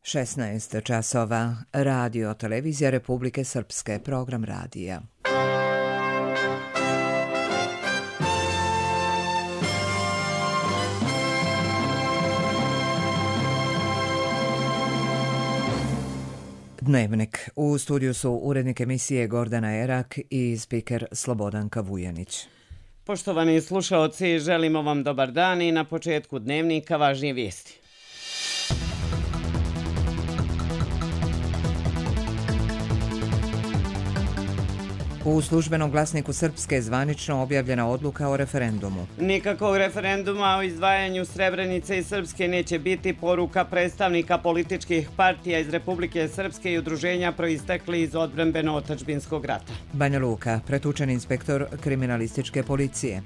16 časova. Radio Televizija Republike Srpske. Program radija. Dnevnik. U studiju su urednik emisije Gordana Erak i spiker Slobodanka Vujanić. Poštovani slušaoci, želimo vam dobar dan i na početku dnevnika važnije vijesti. U službenom glasniku Srpske zvanično objavljena odluka o referendumu. Nikakvog referenduma o izdvajanju Srebrenice i Srpske neće biti, poruka predstavnika političkih partija iz Republike Srpske i udruženja proistekli iz odbrambeno-otadžbinskog rata. Banja Luka, pretučen inspektor kriminalističke policije.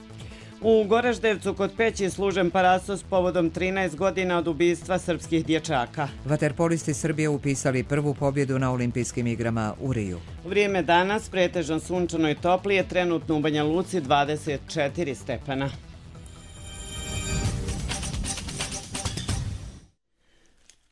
U Goraždevcu kod Peći služen parasos povodom 13 godina od ubistva srpskih dječaka. Vaterpolisti Srbije upisali prvu pobjedu na olimpijskim igrama u Riju. Vrijeme danas pretežno sunčano i toplije, trenutno u Banja Luci 24 stepena.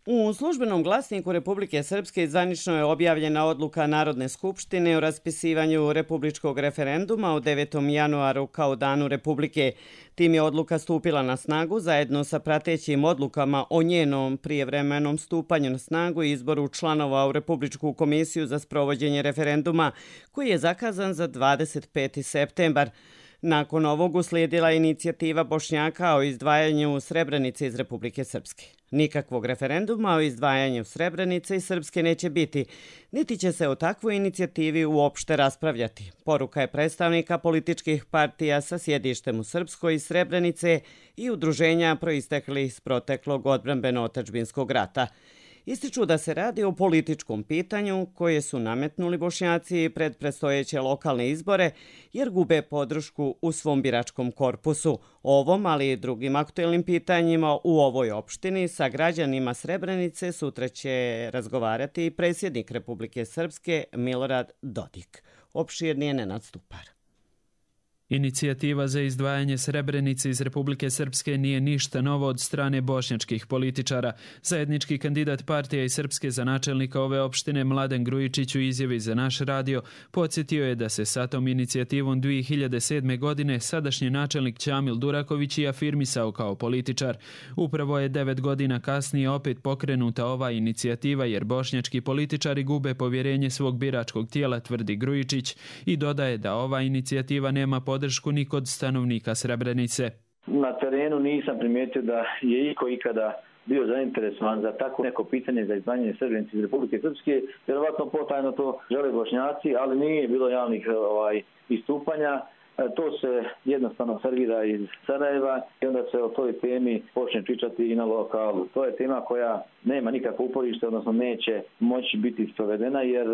U službenom glasniku Republike Srpske zvanično je objavljena odluka Narodne skupštine o raspisivanju republičkog referenduma u 9. januaru kao danu Republike. Tim je odluka stupila na snagu zajedno sa pratećim odlukama o njenom prijevremenom stupanju na snagu i izboru članova u Republičku komisiju za sprovođenje referenduma koji je zakazan za 25. septembar. Nakon ovog uslijedila inicijativa Bošnjaka o izdvajanju Srebrenice iz Republike Srpske. Nikakvog referenduma o izdvajanju Srebrenice i Srpske neće biti, niti će se o takvoj inicijativi uopšte raspravljati. Poruka je predstavnika političkih partija sa sjedištem u Srpskoj i Srebrenice i udruženja proistekli iz proteklog odbrambeno-otadžbinskog rata. Ističu da se radi o političkom pitanju koje su nametnuli Bošnjaci pred predstojeće lokalne izbore jer gube podršku u svom biračkom korpusu. Ovom, ali i drugim aktuelnim pitanjima u ovoj opštini sa građanima Srebrenice sutra će razgovarati i predsjednik Republike Srpske Milorad Dodik. Opširnije Nenad Stupar. Inicijativa za izdvajanje Srebrenice iz Republike Srpske nije ništa novo od strane bošnjačkih političara. Zajednički kandidat partija i Srpske za načelnika ove opštine Mladen Grujičić u izjavi za naš radio podsjetio je da se sa tom inicijativom 2007. godine sadašnji načelnik Ćamil Duraković i afirmisao kao političar. Upravo je 9 godina kasnije opet pokrenuta ova inicijativa jer bošnjački političari gube povjerenje svog biračkog tijela, tvrdi Grujičić, i dodaje da ova inicijativa nema podršku ni kod stanovnika Srebrenice. Na terenu nisam primijetio da je iko ikada bio zainteresovan za tako neko pitanje za izdvajanje Srebrenice iz Republike Srpske. Vjerovatno potajno to žele Bošnjaci, ali nije bilo javnih istupanja. To se jednostavno servira iz Sarajeva i onda se o toj temi počne pričati i na lokalu. To je tema koja nema nikakvo uporište, odnosno neće moći biti sprovedena jer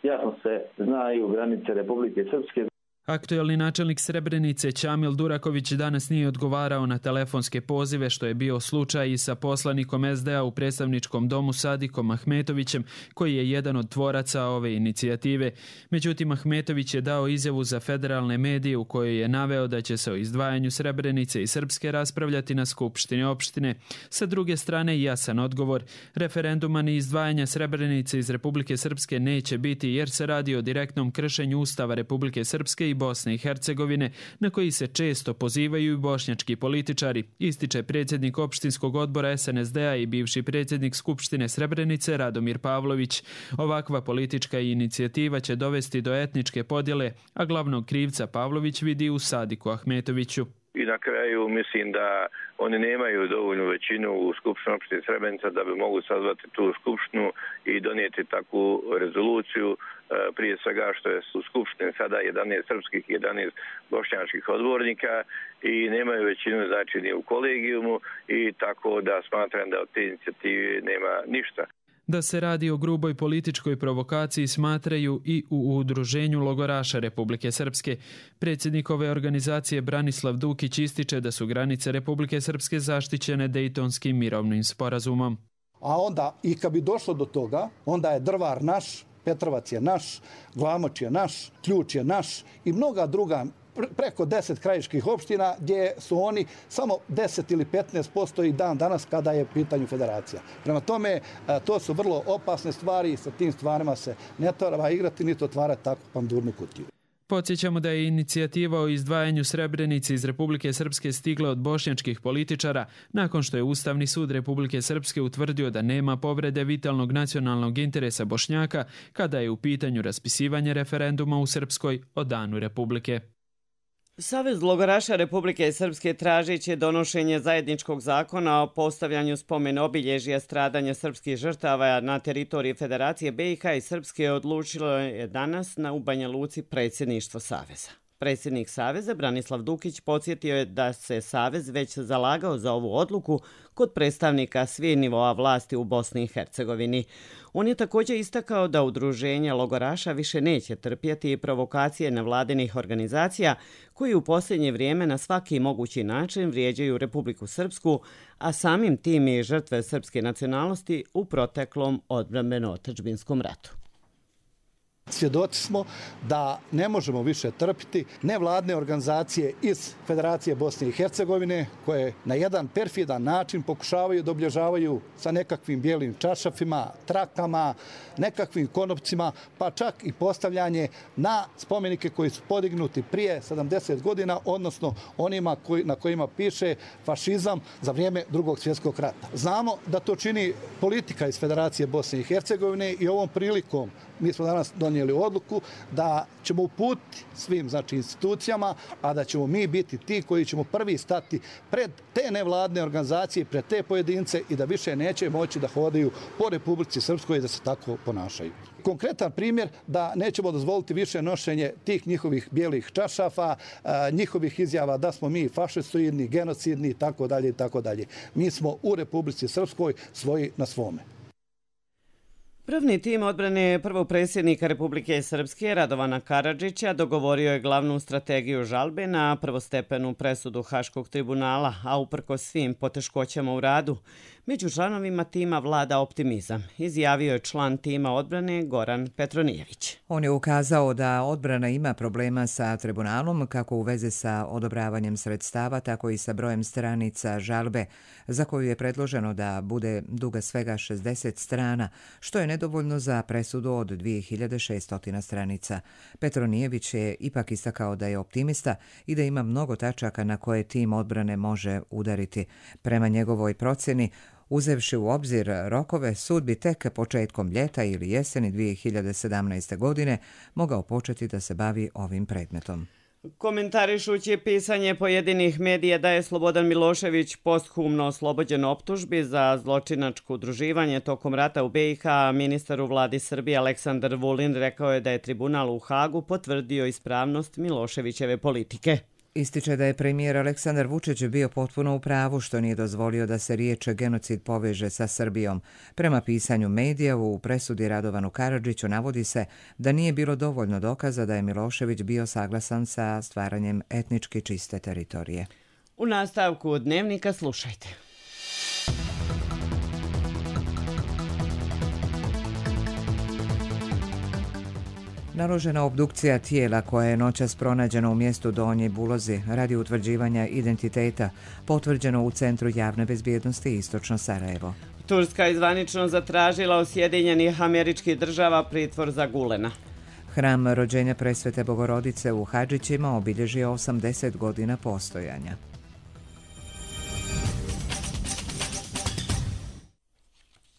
jasno se znaju granice Republike Srpske. Aktuelni načelnik Srebrenice Ćamil Duraković danas nije odgovarao na telefonske pozive, što je bio slučaj i sa poslanikom SDA u predstavničkom domu Sadikom Ahmetovićem, koji je jedan od tvoraca ove inicijative. Međutim, Ahmetović je dao izjavu za federalne medije u kojoj je naveo da će se o izdvajanju Srebrenice i Srpske raspravljati na skupštini opštine. Sa druge strane, jasan odgovor. Referenduma ni izdvajanja Srebrenice iz Republike Srpske neće biti jer se radi o direktnom kršenju Ustava Republike Srpske i Bosne i Hercegovine, na koji se često pozivaju i bošnjački političari, ističe predsjednik opštinskog odbora SNSD-a i bivši predsjednik Skupštine Srebrenice Radomir Pavlović. Ovakva politička inicijativa će dovesti do etničke podjele, a glavnog krivca Pavlović vidi u Sadiku Ahmetoviću. I na kraju mislim da oni nemaju dovoljnu većinu u Skupštini opštine Srebrenica da bi mogu sazvati tu skupštinu i donijeti takvu rezoluciju. Prije svega što je u Skupštini sada 11 srpskih i 11 bošnjačkih odbornika i nemaju većinu znači ni u kolegijumu i tako da smatram da od te inicijative nema ništa. Da se radi o gruboj političkoj provokaciji smatraju i u Udruženju logoraša Republike Srpske. Predsjednik ove organizacije Branislav Dukić ističe da su granice Republike Srpske zaštićene Dejtonskim mirovnim sporazumom. A onda, i kad bi došlo do toga, onda je Drvar naš, Petrovac je naš, Glamoč je naš, Ključ je naš i mnoga druga preko 10 krajiških opština gdje su oni samo 10 ili 15% i dan danas kada je u pitanju federacija. Prema tome, to su vrlo opasne stvari i sa tim stvarima se ne treba igrati niti otvarati takvu pandurnu kutiju. Podsjećamo da je inicijativa o izdvajanju Srebrenice iz Republike Srpske stigla od bošnjačkih političara nakon što je Ustavni sud Republike Srpske utvrdio da nema povrede vitalnog nacionalnog interesa Bošnjaka kada je u pitanju raspisivanje referenduma u Srpskoj o danu Republike. Savez logoraša Republike Srpske tražiće donošenje zajedničkog zakona o postavljanju spomen obilježja stradanja srpskih žrtava na teritoriji Federacije BiH i Srpske odlučilo je danas u Banja Luci predsjedništvo Saveza. Predsjednik Saveza Branislav Dukić podsjetio je da se Savez već zalagao za ovu odluku kod predstavnika svih nivoa vlasti u Bosni i Hercegovini. On je također istakao da udruženja logoraša više neće trpjeti provokacije nevladinih organizacija koji u posljednje vrijeme na svaki mogući način vrijeđaju Republiku Srpsku, a samim tim i žrtve srpske nacionalnosti u proteklom odbrambeno-otadžbinskom ratu. Svjedoci smo da ne možemo više trpiti nevladne organizacije iz Federacije Bosne i Hercegovine koje na jedan perfidan način pokušavaju da obilježavaju sa nekakvim bijelim čaršafima, trakama, nekakvim konopcima, pa čak i postavljanje na spomenike koji su podignuti prije 70 godina, odnosno onima na kojima piše fašizam za vrijeme Drugog svjetskog rata. Znamo da to čini politika iz Federacije Bosne i Hercegovine i ovom prilikom mi smo danas donijeli odluku da ćemo uputiti svim institucijama, a da ćemo mi biti ti koji ćemo prvi stati pred te nevladne organizacije, pred te pojedince i da više neće moći da hodaju po Republici Srpskoj i da se tako ponašaju. Konkretan primjer da nećemo dozvoliti više nošenje tih njihovih bijelih čaršafa, njihovih izjava da smo mi fašistoidni, genocidni itd. itd. Mi smo u Republici Srpskoj svoji na svome. Pravni tim odbrane prvog predsjednika Republike Srpske Radovana Karadžića dogovorio je glavnu strategiju žalbe na prvostepenu presudu Haškog tribunala, a uprkos svim poteškoćama u radu, među članovima tima vlada optimizam, izjavio je član tima odbrane Goran Petronijević. On je ukazao da odbrana ima problema sa tribunalom kako u vezi sa odobravanjem sredstava, tako i sa brojem stranica žalbe, za koju je predloženo da bude duga svega 60 strana, što je nedovoljno za presudu od 2600 stranica. Petronijević je ipak istakao da je optimista i da ima mnogo tačaka na koje tim odbrane može udariti. Prema njegovoj procjeni, uzevši u obzir rokove, sud bi tek početkom ljeta ili jeseni 2017. godine mogao početi da se bavi ovim predmetom. Komentarišući pisanje pojedinih medija da je Slobodan Milošević posthumno oslobođen optužbi za zločinačko udruživanje tokom rata u BiH, ministar u vladi Srbije Aleksandar Vulin rekao je da je tribunal u Hagu potvrdio ispravnost Miloševićeve politike. Ističe da je premijer Aleksandar Vučić bio potpuno u pravu što nije dozvolio da se riječ genocid poveže sa Srbijom. Prema pisanju medija u presudi Radovanu Karadžiću navodi se da nije bilo dovoljno dokaza da je Milošević bio saglasan sa stvaranjem etnički čiste teritorije. U nastavku Dnevnika slušajte. Naložena obdukcija tijela koja je noćas pronađena u mjestu Donji Bulozi radi utvrđivanja identiteta, potvrđeno u Centru javne bezbjednosti Istočno Sarajevo. Turska je zvanično zatražila od Sjedinjenih Američkih Država pritvor za Gulena. Hram rođenja Presvete Bogorodice u Hadžićima obilježio 80 godina postojanja.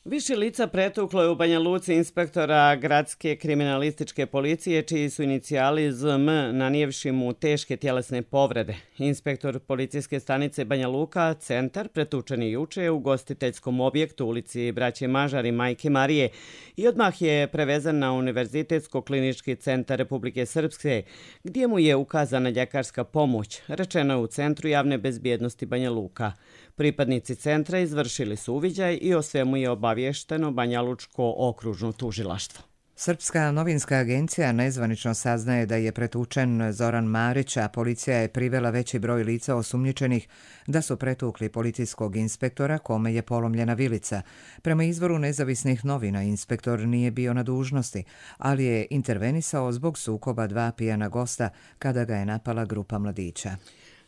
Više lica pretuklo je u Banja Luci inspektora gradske kriminalističke policije, čiji su inicijali ZM nanijevši mu teške tjelesne povrede. Inspektor policijske stanice Banja Luka, Centar, pretučen je juče u ugostiteljskom objektu u ulici Braće Mažar i Majke Marije i odmah je prevezan na Univerzitetsko-klinički centar Republike Srpske, gdje mu je ukazana ljekarska pomoć, rečeno je u Centru javne bezbjednosti Banja Luka. Pripadnici centra izvršili su uviđaj i o svemu je obavješteno Banja Lučko okružno tužilaštvo. Srpska novinska agencija nezvanično saznaje da je pretučen Zoran Marić, a policija je privela veći broj lica osumnjičenih da su pretukli policijskog inspektora kome je polomljena vilica. Prema izvoru nezavisnih novina, inspektor nije bio na dužnosti, ali je intervenisao zbog sukoba dva pijana gosta kada ga je napala grupa mladića.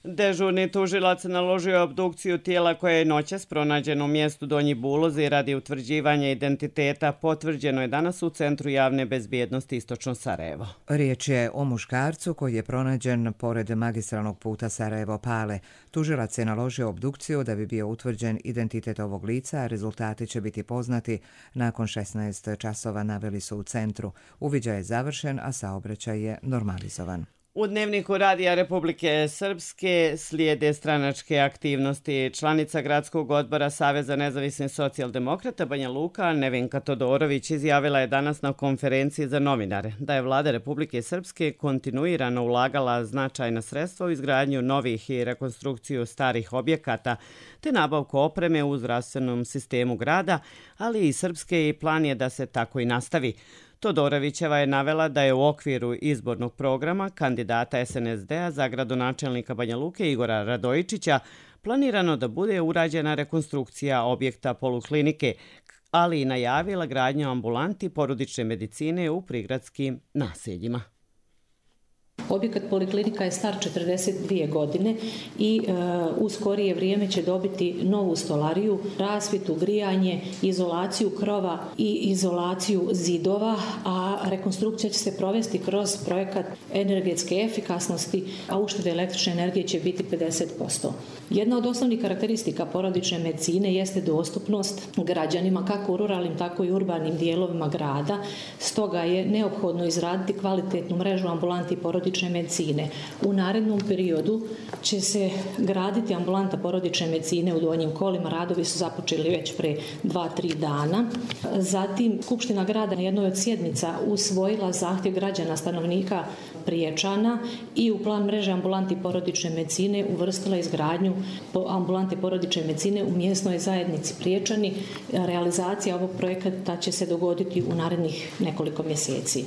Dežurni tužilac naložio obdukciju tijela koje je noćas pronađeno u mjestu Donji Bulozi radi utvrđivanja identiteta. Potvrđeno je danas u Centru javne bezbjednosti Istočno Sarajevo. Riječ je o muškarcu koji je pronađen pored magistralnog puta Sarajevo-Pale. Tužilac je naložio obdukciju da bi bio utvrđen identitet ovog lica, a rezultati će biti poznati nakon 16 časova, naveli su u centru. Uviđaj je završen, a saobraćaj je normalizovan. U Dnevniku Radija Republike Srpske slijede stranačke aktivnosti. Članica Gradskog odbora Saveza nezavisnih socijaldemokrata Banja Luka Nevenka Todorović izjavila je danas na konferenciji za novinare da je vlada Republike Srpske kontinuirano ulagala značajna sredstva u izgradnju novih i rekonstrukciju starih objekata te nabavku opreme u zdravstvenom sistemu grada, ali i Srpske i plan je da se tako i nastavi. Todorovićeva je navela da je u okviru izbornog programa kandidata SNSD-a za gradonačelnika Banja Luke Igora Radojičića planirano da bude urađena rekonstrukcija objekta poluklinike, ali i najavila gradnju ambulanti porodične medicine u prigradskim naseljima. Objekat poliklinika je star 42 godine i u skorije vrijeme će dobiti novu stolariju, rasvjetu, grijanje, izolaciju krova i izolaciju zidova, a rekonstrukcija će se provesti kroz projekat energetske efikasnosti, a uštede električne energije će biti 50%. Jedna od osnovnih karakteristika porodične medicine jeste dostupnost građanima kako u ruralnim, tako i urbanim dijelovima grada. Stoga je neophodno izraditi kvalitetnu mrežu ambulanti porodične medicine. U narednom periodu će se graditi ambulanta porodične medicine u Donjim Kolima. Radovi su započeli već pre 2-3 dana. Zatim, Skupština grada na jednoj od sjednica usvojila zahtjev građana stanovnika Priječana i u plan mreže ambulanti porodične medicine uvrstila izgradnju ambulante porodične medicine u mjesnoj zajednici Priječani. Realizacija ovog projekta će se dogoditi u narednih nekoliko mjeseci.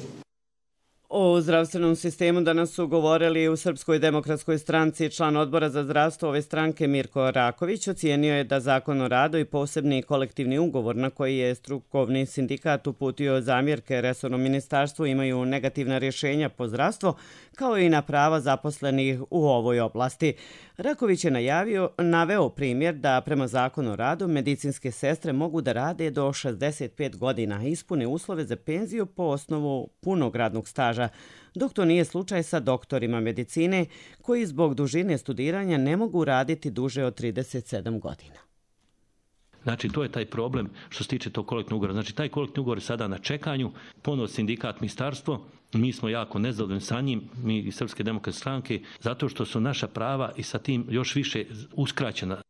O zdravstvenom sistemu danas su govorili u Srpskoj demokratskoj stranci. Član odbora za zdravstvo ove stranke Mirko Raković ocijenio je da Zakon o radu i posebni kolektivni ugovor na koji je strukovni sindikat uputio zamjerke resornom ministarstvu imaju negativna rješenja po zdravstvo, kao i na prava zaposlenih u ovoj oblasti. Raković je naveo primjer da prema Zakonu o radu medicinske sestre mogu da rade do 65 godina, ispune uslove za penziju po osnovu punog radnog staža, dok to nije slučaj sa doktorima medicine koji zbog dužine studiranja ne mogu raditi duže od 37 godina. Znači, to je taj problem što se tiče tog kolektivnog ugovora. Znači, taj kolektivni ugovor je sada na čekanju, ponovo sindikat, ministarstvo. Mi smo jako nezadovoljni sa njim, mi iz Srpske demokratske stranke, zato što su naša prava i sa tim još više uskraćena.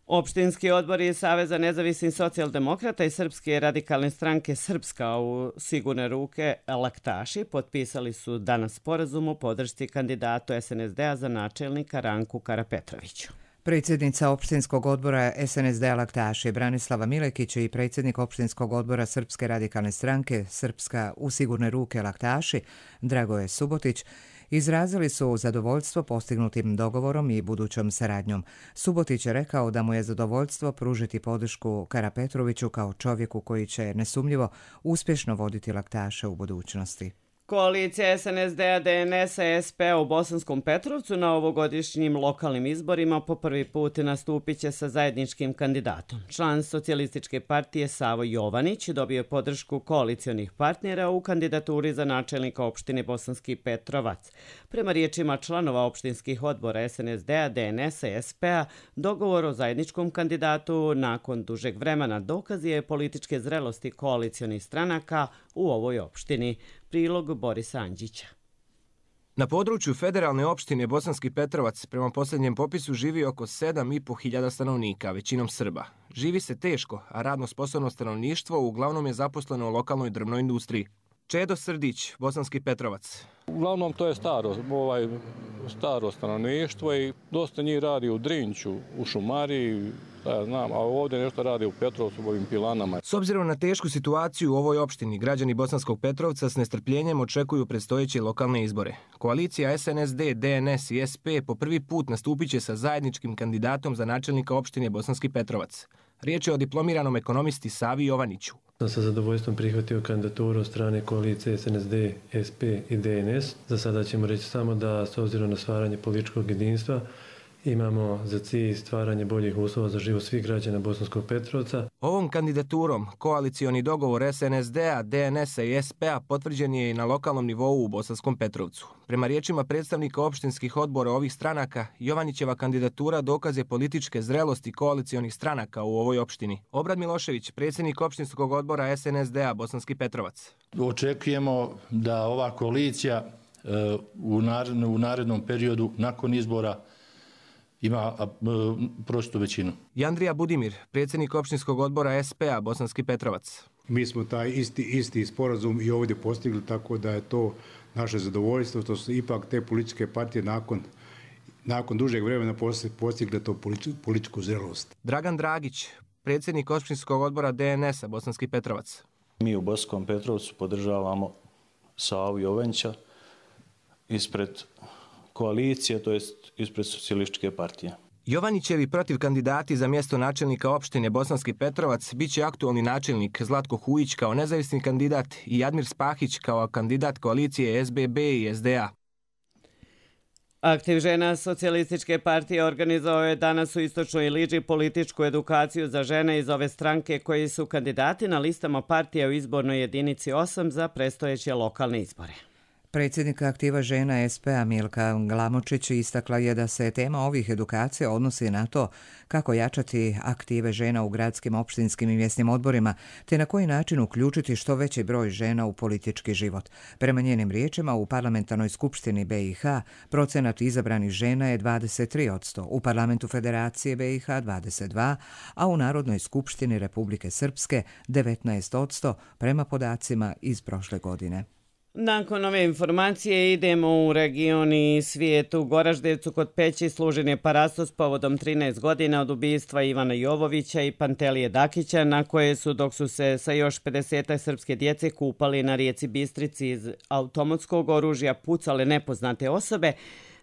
Opštinski odbori Saveza nezavisnih socijaldemokrata i Srpske radikalne stranke Srpska u sigurne ruke laktaši potpisali su danas sporazum o podršci kandidatu SNSD-a za načelnika Ranku Karapetroviću. Predsjednica opštinskog odbora SNSD-a Laktaši Branislava Milekić i predsjednik opštinskog odbora Srpske radikalne stranke Srpska u sigurne ruke Laktaši Dragoje Subotić izrazili su zadovoljstvo postignutim dogovorom i budućom saradnjom. Subotić je rekao da mu je zadovoljstvo pružiti podršku Karapetroviću kao čovjeku koji će nesumnjivo uspješno voditi Laktaše u budućnosti. Koalicija SNSD-a, DNS-a, SP-a u Bosanskom Petrovcu na ovogodišnjim lokalnim izborima po prvi put nastupit će sa zajedničkim kandidatom. Član Socijalističke partije Savo Jovanić dobio je podršku koalicionih partnera u kandidaturi za načelnika opštine Bosanski Petrovac. Prema riječima članova opštinskih odbora SNSD-a, DNS-a i SP-a, dogovor o zajedničkom kandidatu nakon dužeg vremena dokaz je političke zrelosti koalicionih stranaka u ovoj opštini. Prilog Borisa Anđića. Na području federalne opštine Bosanski Petrovac prema posljednjem popisu živi oko 7.500 stanovnika, većinom Srba. Živi se teško, a radno sposobno stanovništvo uglavnom je zaposleno u lokalnoj drvnoj industriji. Čedo Srdić, Bosanski Petrovac. Uglavnom to je staro stanovništvo i dosta njih radi u Drinću, u Šumariji, a ovdje nešto radi u Petrovcu, u ovim pilanama. S obzirom na tešku situaciju u ovoj opštini, građani Bosanskog Petrovca s nestrpljenjem očekuju predstojeće lokalne izbore. Koalicija SNSD, DNS i SP po prvi put nastupit će sa zajedničkim kandidatom za načelnika opštine Bosanski Petrovac. Riječ je o diplomiranom ekonomisti Savi Jovaniću. Sa zadovoljstvom prihvatio kandidaturu od strane koalicije SNSD, SP i DNS. Za sada ćemo reći samo da, s obzirom na stvaranje političkog jedinstva, imamo za cilj stvaranje boljih uslova za život svih građana Bosanskog Petrovca. Ovom kandidaturom koalicioni dogovor SNSD-a, DNS-a i SP-a potvrđen je i na lokalnom nivou u Bosanskom Petrovcu. Prema riječima predstavnika opštinskih odbora ovih stranaka, Jovanićeva kandidatura dokaz je političke zrelosti koalicionih stranaka u ovoj opštini. Obrad Milošević, predsjednik opštinskog odbora SNSD-a Bosanski Petrovac. Očekujemo da ova koalicija u narednom periodu nakon izbora ima prostu većinu. Jandrija Budimir, predsjednik opštinskog odbora SP-a Bosanski Petrovac. Mi smo taj isti sporazum i ovdje postigli, tako da je to naše zadovoljstvo, što su ipak te političke partije nakon dužeg vremena postigle to političku zrelost. Dragan Dragić, predsjednik opštinskog odbora DNS-a Bosanski Petrovac. Mi u Bosanskom Petrovcu podržavamo Savu Jovanića ispred koalicije, to jest ispred socijalističke partije. Jovanićevi protiv kandidati za mjesto načelnika opštine Bosanski Petrovac bit će aktualni načelnik Zlatko Hujić kao nezavisni kandidat i Jadmir Spahić kao kandidat koalicije SBB i SDA. Aktiv žena socijalističke partije organizovao je danas u Istočnoj Iliđi političku edukaciju za žene iz ove stranke koji su kandidati na listama partije u izbornoj jedinici 8 za predstojeće lokalne izbore. Predsjednika aktiva žena SP-a Milka Glamočić istakla je da se tema ovih edukacija odnosi na to kako jačati aktive žena u gradskim, opštinskim i mjesnim odborima, te na koji način uključiti što veći broj žena u politički život. Prema njenim riječima, u parlamentarnoj skupštini BiH procenat izabranih žena je 23%, u parlamentu Federacije BiH 22%, a u Narodnoj skupštini Republike Srpske 19% prema podacima iz prošle godine. Nakon ove informacije idemo u region i svijet. U Goraždevcu kod Peći služen je parastos povodom 13 godina od ubistva Ivana Jovovića i Pantelije Dakića, na koje su, dok su se sa još 50 srpske djece kupali na rijeci Bistrici iz automatskog oružja pucale nepoznate osobe,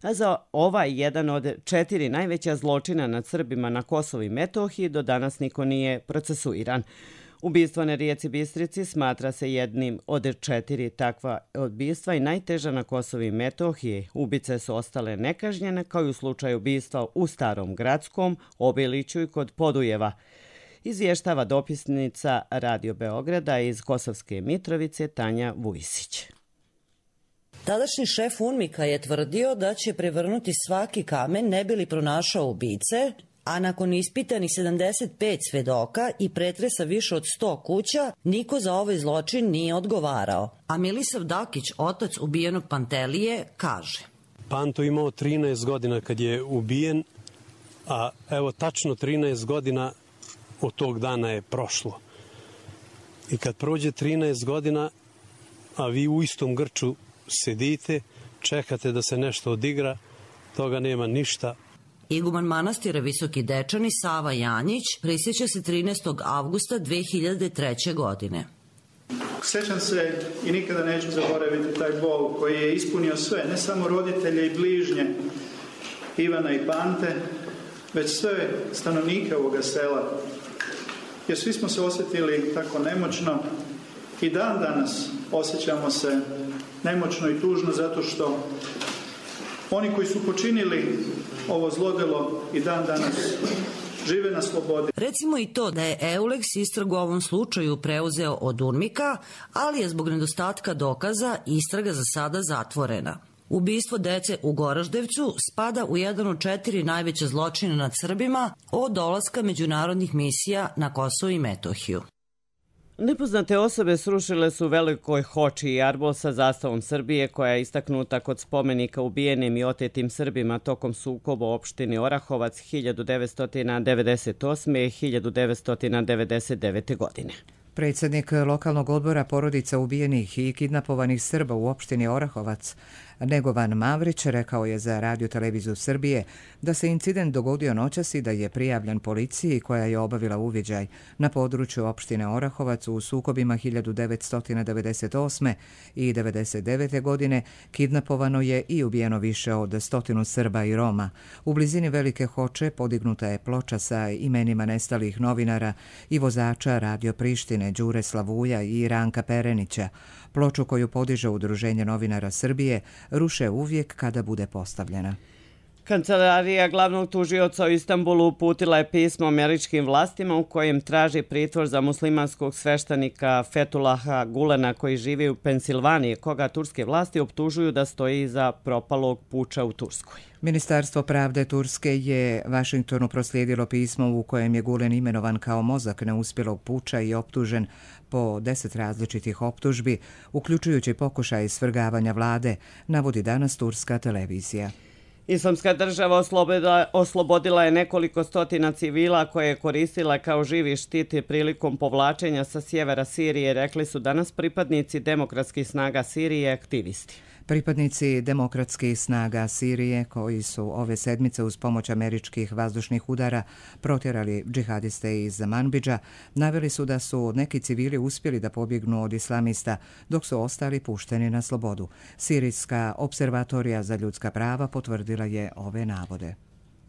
a za ovaj jedan od 4 najveća zločina nad Srbima na Kosovu i Metohiji do danas niko nije procesuiran. Ubistvo na rijeci Bistrici smatra se jednim od 4 takva ubistva i najteža na Kosovu i Metohiji. Ubice su ostale nekažnjene kao i u slučaju ubistva u Starom Gradskom, Obiliću i kod Podujeva. Izvještava dopisnica Radio Beograda iz Kosovske Mitrovice Tanja Vujsić. Tadašnji šef UNMIK-a je tvrdio da će prevrnuti svaki kamen ne bi li pronašao ubice, a nakon ispitanih 75 svedoka i pretresa više od 100 kuća, niko za ovaj zločin nije odgovarao. A Milisav Dakić, otac ubijenog Pantelije, kaže: Panto imao 13 godina kad je ubijen, a evo tačno 13 godina od tog dana je prošlo. I kad prođe 13 godina, a vi u istom grču sedite, čekate da se nešto odigra, toga nema ništa. Iguman manastira Visoki Dečani Sava Janjić prisjeća se 13. avgusta 2003. godine. Sjećam se i nikada neću zaboraviti taj bol koji je ispunio sve, ne samo roditelje i bližnje Ivana i Pante, već sve stanovnike ovoga sela. Jer svi smo se osjetili tako nemoćno i dan danas osjećamo se nemoćno i tužno zato što oni koji su počinili ovo zlodelo i dan danas žive na slobodi. Recimo i to da je Eulex istragu u ovom slučaju preuzeo od UNMIK-a, ali je zbog nedostatka dokaza istraga za sada zatvorena. Ubistvo dece u Goraždevcu spada u jedan od 4 najveća zločina nad Srbima od dolaska međunarodnih misija na Kosovo i Metohiju. Nepoznate osobe srušile su u Velikoj Hoči i arbol sa zastavom Srbije koja je istaknuta kod spomenika ubijenim i otetim Srbima tokom sukoba u opštini Orahovac 1998. i 1999. godine. Predsjednik lokalnog odbora porodica ubijenih i kidnapovanih Srba u opštini Orahovac, Negovan Mavrić, rekao je za Radio televiziju Srbije da se incident dogodio noćas i da je prijavljen policiji koja je obavila uviđaj na području opštine Orahovac u sukobima 1998. i 1999. godine. Kidnapovano je i ubijeno više od 100 Srba i Roma. U blizini Velike Hoče podignuta je ploča sa imenima nestalih novinara i vozača Radio Prištine Đure Slavuja i Ranka Perenića. Ploču koju podiže Udruženje novinara Srbije ruše uvijek kada bude postavljena. Kancelarija glavnog tužioca u Istanbulu uputila je pismo američkim vlastima u kojem traži pritvor za muslimanskog sveštenika Fethullaha Gulena koji živi u Pensilvaniji, koga turske vlasti optužuju da stoji iza propalog puča u Turskoj. Ministarstvo pravde Turske je Vašingtonu proslijedilo pismo u kojem je Gulen imenovan kao mozak neuspjelog puča i optužen po 10 različitih optužbi, uključujući pokušaj svrgavanja vlade, navodi danas turska televizija. Islamska država oslobodila je nekoliko stotina civila koje je koristila kao živi štit prilikom povlačenja sa sjevera Sirije, rekli su danas pripadnici demokratskih snaga Sirije i aktivisti. Pripadnici demokratskih snaga Sirije, koji su ove sedmice uz pomoć američkih vazdušnih udara protjerali džihadiste iz Manbidža, naveli su da su neki civili uspjeli da pobjegnu od islamista, dok su ostali pušteni na slobodu. Sirijska observatorija za ljudska prava potvrdila je ove navode.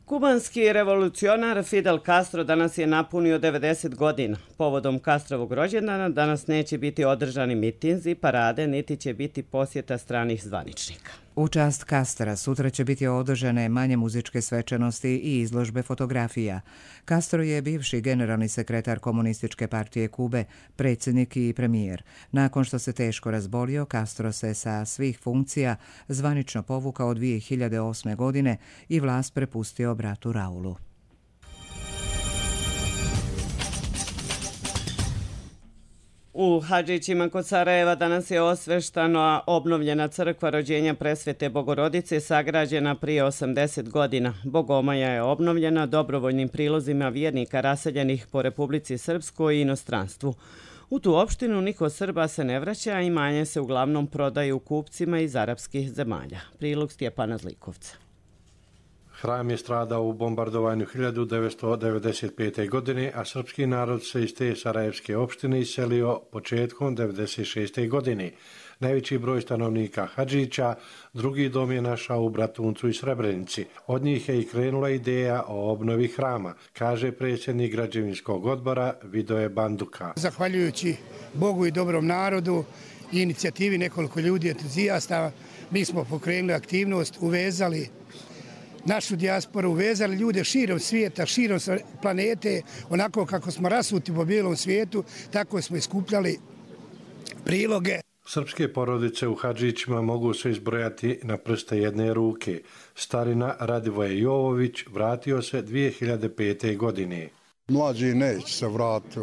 Kubanski revolucionar Fidel Castro danas je napunio 90 godina. Povodom Castrovog rođendana danas neće biti održani mitinzi, parade, niti će biti posjeta stranih zvaničnika. U čast Castra sutra će biti održane manje muzičke svečanosti i izložbe fotografija. Castro je bivši generalni sekretar Komunističke partije Kube, predsjednik i premijer. Nakon što se teško razbolio, Castro se sa svih funkcija zvanično povukao 2008. godine i vlast prepustio bratu Raulu. U Hadžićima kod Sarajeva danas je osveštana obnovljena crkva rođenja Presvete Bogorodice sagrađena prije 80 godina. Bogomaja je obnovljena dobrovoljnim prilozima vjernika raseljenih po Republici Srpskoj i inostranstvu. U tu opštinu niko Srba se ne vraća, a imanje se uglavnom prodaju kupcima iz arapskih zemalja. Prilog Stjepana Zlikovca. Hram je stradao u bombardovanju 1995. godine, a srpski narod se iz te sarajevske opštine iselio početkom 1996. godine. Najveći broj stanovnika Hadžića drugi dom je našao u Bratuncu i Srebrenici. Od njih je i krenula ideja o obnovi hrama, kaže predsjednik građevinskog odbora Vidoje Banduka. Zahvaljujući Bogu i dobrom narodu i inicijativi nekoliko ljudi entuzijasta, mi smo pokrenuli aktivnost, uvezali našu dijasporu, uvezali ljude širom svijeta, širom planete, onako kako smo rasuti po bijelom svijetu, tako smo iskupljali priloge. Srpske porodice u Hadžićima mogu se izbrojati na prste jedne ruke. Starina Radivoje Jovović vratio se 2005. godine. Mlađi neće se vratiti,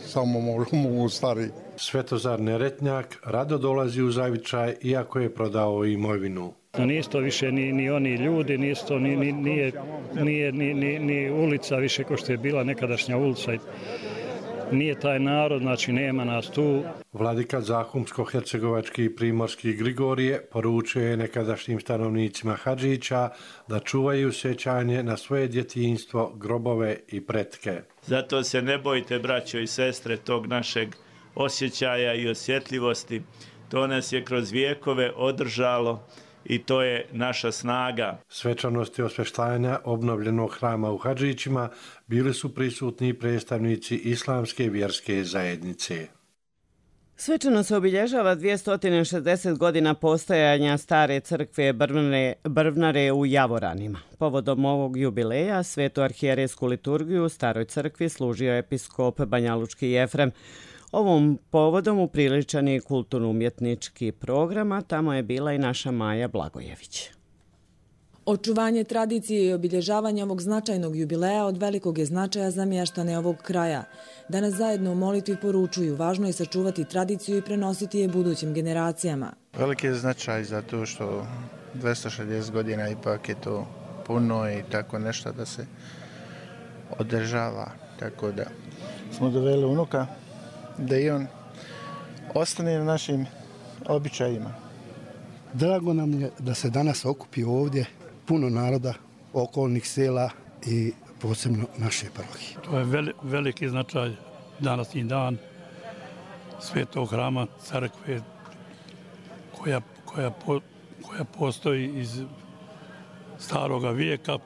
samo mogu stari. Svetozar Neretnjak rado dolazi u Zavičaj iako je prodao imovinu. Nisu to više ni oni ljudi, nije ulica više kao što je bila nekadašnja ulica. Nije taj narod, znači nema nas tu. Vladika Zahumsko-hercegovački i primorski Grigorije poručuje je nekadašnjim stanovnicima Hadžića da čuvaju sjećanje na svoje djetinjstvo, grobove i pretke. Zato se ne bojte, braćo i sestre, tog našeg osjećaja i osjetljivosti. To nas je kroz vijekove održalo i to je naša snaga. Svečanosti osveštanja obnovljenog hrama u Hadžićima bili su prisutni predstavnici islamske vjerske zajednice. Svečano se obilježava 260 godina postojanja stare crkve Brvnare u Javoranima. Povodom ovog jubileja svetu arhijerejsku liturgiju u staroj crkvi služio episkop Banjalučki Jefrem. Ovom povodom upriličan je kulturno-umjetnički program, a tamo je bila i naša Maja Blagojević. Očuvanje tradicije i obilježavanje ovog značajnog jubileja od velikog je značaja za mještane ovog kraja. Danas zajedno u molitvi poručuju, važno je sačuvati tradiciju i prenositi je budućim generacijama. Veliki je značaj zato što 260 godina ipak je to puno i tako nešto da se održava. Tako da smo doveli unuka da i on ostane na našim običajima. Drago nam je da se danas okupi ovdje puno naroda, okolnih sela i posebno naše parohije. To je veliki značaj današnji dan Svetog hrama, crkve koja postoji iz staroga vijeka.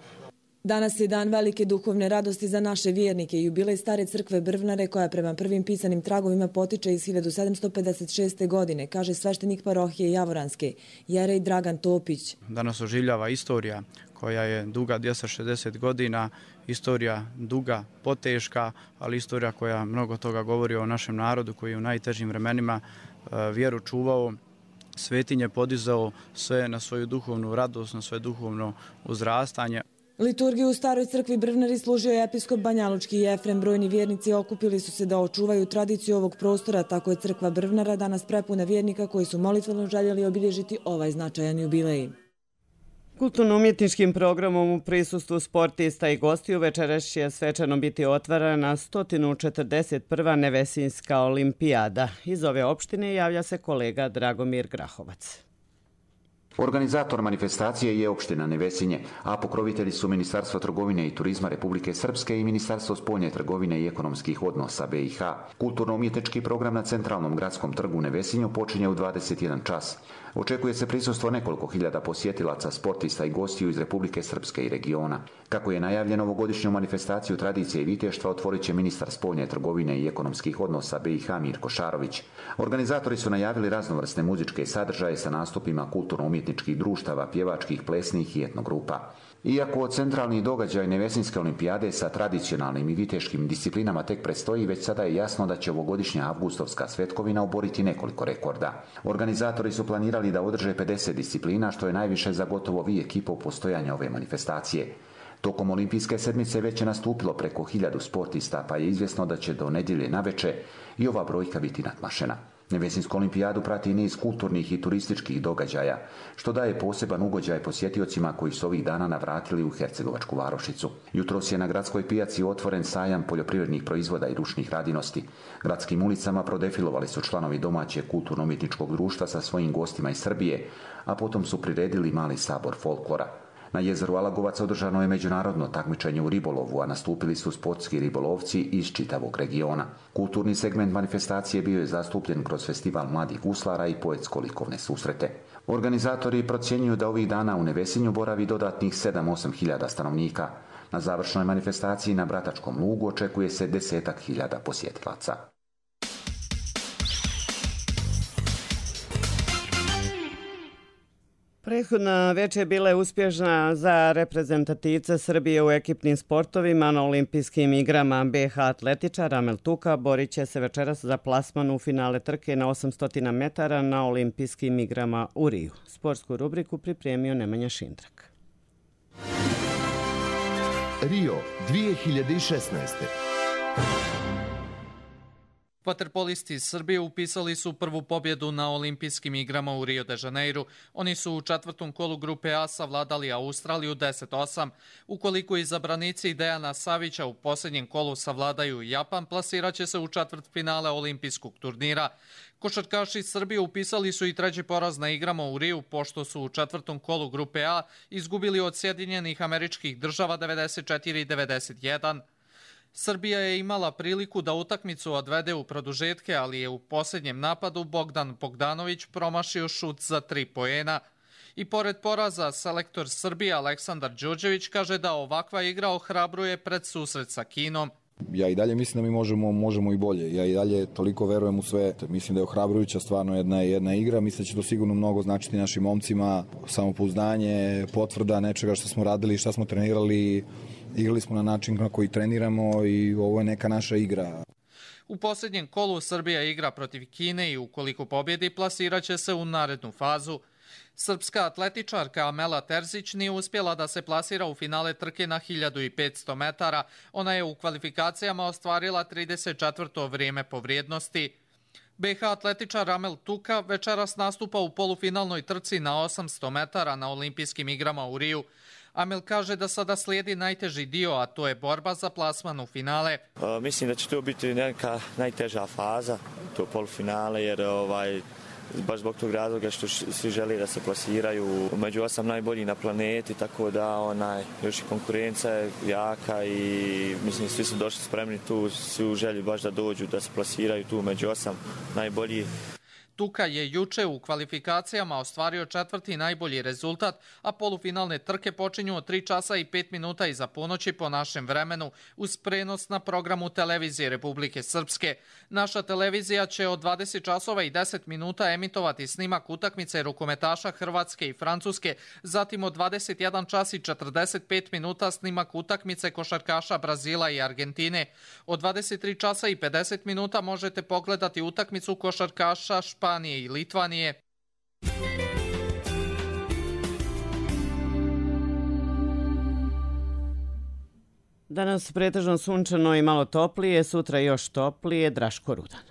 Danas je dan velike duhovne radosti za naše vjernike i jubilej stare crkve Brvnare koja prema prvim pisanim tragovima potiče iz 1756. godine, kaže sveštenik parohije Javoranske, jerej Dragan Topić. Danas oživljava istorija koja je duga 260 godina, istorija duga, poteška, ali istorija koja mnogo toga govori o našem narodu koji je u najtežim vremenima vjeru čuvao, svetinje podizao, sve na svoju duhovnu radost, na svoje duhovno uzrastanje. Liturgiju u staroj crkvi Brvnari služio je episkop Banjalučki i Efrem. Brojni vjernici okupili su se da očuvaju tradiciju ovog prostora, tako je crkva Brvnara danas prepuna vjernika koji su molitveno željeli obilježiti ovaj značajan jubilej. Kulturno-umjetničkim programom u prisustvu sportista i gostiju večeras će svečano biti otvarana 141. Nevesinjska olimpijada. Iz ove opštine javlja se kolega Dragomir Grahovac. Organizator manifestacije je opština Nevesinje, a pokrovitelji su Ministarstvo trgovine i turizma Republike Srpske i Ministarstvo spoljne trgovine i ekonomskih odnosa BiH. Kulturno-umjetnički program na centralnom gradskom trgu u Nevesinju počinje u 21 čas. Očekuje se prisustvo nekoliko hiljada posjetilaca, sportista i gostiju iz Republike Srpske i regiona. Kako je najavljeno, ovogodišnju manifestaciju tradicije i viteštva otvorit će ministar spoljne trgovine i ekonomskih odnosa BiH Mirko Šarović. Organizatori su najavili raznovrsne muzičke sadržaje sa nastupima kulturno-umjetničkih društava, pjevačkih, plesnih i etnogrupa. Iako centralni događaj Nevesinjske olimpijade sa tradicionalnim i viteškim disciplinama tek predstoji, već sada je jasno da će ovogodišnja avgustovska svetkovina oboriti nekoliko rekorda. Organizatori su planirali da održe 50 disciplina, što je najviše za gotovo vijek i po postojanja ove manifestacije. Tokom olimpijske sedmice već je nastupilo preko 1000 sportista, pa je izvjesno da će do nedjelje naveče i ova brojka biti nadmašena. Nevesinjsku olimpijadu prati niz kulturnih i turističkih događaja, što daje poseban ugođaj posjetiocima koji su ovih dana navratili u Hercegovačku varošicu. Jutros je na gradskoj pijaci otvoren sajam poljoprivrednih proizvoda i ručnih radinosti. Gradskim ulicama prodefilovali su članovi domaćeg kulturno-umjetničkog društva sa svojim gostima iz Srbije, a potom su priredili mali sabor folklora. Na jezeru Alagovac održano je međunarodno takmičenje u ribolovu, a nastupili su sportski ribolovci iz čitavog regiona. Kulturni segment manifestacije bio je zastupljen kroz festival mladih guslara i poetsko-likovne susrete. Organizatori procjenjuju da ovih dana u Nevesinju boravi dodatnih 7-8 hiljada stanovnika. Na završnoj manifestaciji na Bratačkom lugu očekuje se 10.000 posjetilaca. Prethodna večer bila je uspješna za reprezentativce Srbije u ekipnim sportovima na olimpijskim igrama. BiH atletičar Amel Tuka borit će se večeras za plasman u finale trke na 800 metara na olimpijskim igrama u Riju. Sportsku rubriku pripremio Nemanja Šindrak. Rio 2016. Vaterpolisti iz Srbije upisali su prvu pobjedu na olimpijskim igrama u Rio de Janeiru. Oni su u četvrtom kolu grupe A savladali Australiju 10-8. Ukoliko izabranici Dejana Savića u posljednjem kolu savladaju Japan, plasiraće se u četvrtfinale olimpijskog turnira. Košarkaši Srbije upisali su i treći poraz na igrama u Riju, pošto su u četvrtom kolu grupe A izgubili od Sjedinjenih Američkih Država 94-91. Srbija je imala priliku da utakmicu odvede u produžetke, ali je u posljednjem napadu Bogdan Bogdanović promašio šut za 3 poena. I pored poraza, selektor Srbije Aleksandar Đurđević kaže da ovakva igra ohrabruje pred susret sa Kinom. Ja i dalje mislim da mi možemo i bolje. Ja i dalje toliko verujem u sve. Mislim da je ohrabrujuća stvarno jedna igra. Mislim da će to sigurno mnogo značiti našim momcima. Samopouzdanje, potvrda nečega što smo radili, što smo trenirali. Igrali smo na način na koji treniramo i ovo je neka naša igra. U posljednjem kolu Srbija igra protiv Kine i ukoliko pobjedi plasiraće se u narednu fazu. Srpska atletičarka Amela Terzić nije uspjela da se plasira u finale trke na 1500 metara. Ona je u kvalifikacijama ostvarila 34. vrijeme po vrijednosti. BiH atletičar Amel Tuka večeras nastupa u polufinalnoj trci na 800 metara na olimpijskim igrama u Riju. Amel kaže da sada slijedi najteži dio, a to je borba za plasman u finale. Mislim da će to biti neka najteža faza, to polufinale, jer baš zbog tog razloga što svi žele da se plasiraju među 8 najboljih na planeti, tako da još i konkurencija je jaka i mislim svi su došli spremni tu, svi u želji baš da dođu, da se plasiraju tu među 8 najboljih. Tuka je juče u kvalifikacijama ostvario 4. najbolji rezultat, a polufinalne trke počinju od 3 časa i 5 minuta iza ponoći po našem vremenu, uz prenos na programu televizije Republike Srpske. Naša televizija će od 20 časova i 10 minuta emitovati snimak utakmice rukometaša Hrvatske i Francuske, zatim od 21 čas i 45 minuta snimak utakmice košarkaša Brazila i Argentine. Od 23 časa i 50 minuta možete pogledati utakmicu košarkaša Španije i Litvanije. Danas pretežno sunčano i malo toplije, sutra još toplije. Draško Rudan.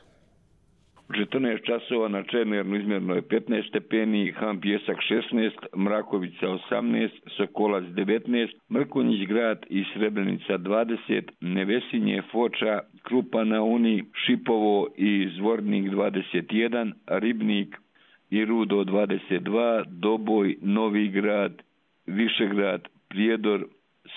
U 14 časova na Černernu izmjerno je 15 stepeni, Ham Pjesak 16, Mrakovica 18, Sokolac 19, Mrkonjić grad i Srebrenica 20, Nevesinje, Foča, Krupa na Uni, Šipovo i Zvornik 21, Ribnik i Rudo 22, Doboj, Novi grad, Višegrad, Prijedor,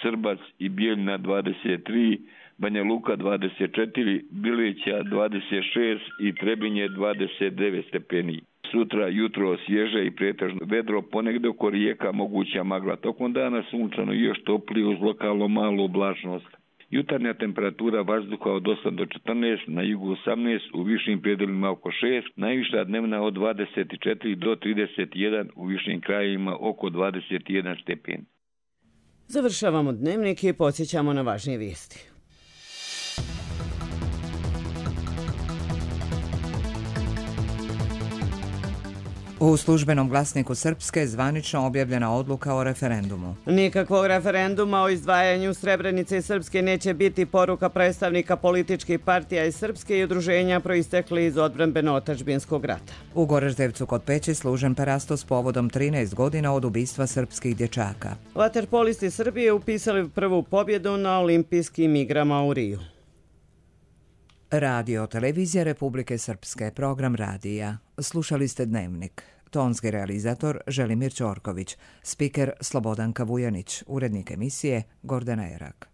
Srbac i Bijeljina 23, Banja Luka 24, Bilića 26 i Trebinje 29 stepeni. Sutra jutro svježe i pretežno vedro, ponegdje oko rijeka moguća magla. Tokom dana sunčano i još toplije uz lokalno malu oblačnost. Jutarnja temperatura vazduha od 8 do 14, na jugu 18, u višim predelima oko 6, najviša dnevna od 24 do 31, u višim krajevima oko 21 stepen. Završavamo dnevnik i podsjećamo na važnije vijesti. U službenom glasniku Srpske zvanično objavljena odluka o referendumu. Nikakvog referenduma o izdvajanju Srebrenice i Srpske neće biti, poruka predstavnika političkih partija iz Srpske i udruženja proistekli iz odbrambeno-otadžbinskog rata. U Goraždevcu kod Peći služen parastos povodom 13 godina od ubistva srpskih dječaka. Vaterpolisti Srbije upisali prvu pobjedu na olimpijskim igrama u Riju. Radio televizija Republike Srpske, program radija. Slušali ste dnevnik. Tonski realizator Želimir Ćorković, spiker Slobodanka Vujanić, urednik emisije Gordana Erak.